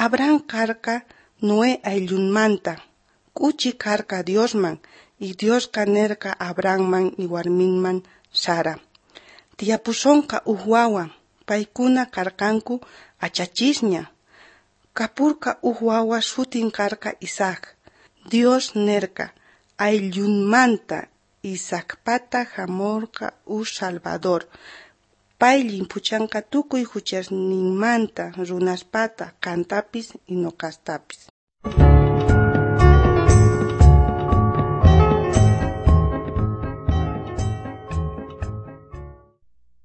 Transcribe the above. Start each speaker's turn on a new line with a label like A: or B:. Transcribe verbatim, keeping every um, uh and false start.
A: Abraham karqa Noé ayllunmanta. K'uchi karqa Diosman, y Diosqa nerqa Abrahamman y warminman Sara. Tiyapusonqa uj wawa. Paykuna karqanku achachisña. Kapurqa uj wawa sutin karqa Isaac. Dios nerqa ayllunmanta Isaacpata jamorqa uj Salvador. Pay llimphuchanqa tukuy juchasninmanta runaspata, qantapis y noqastapis.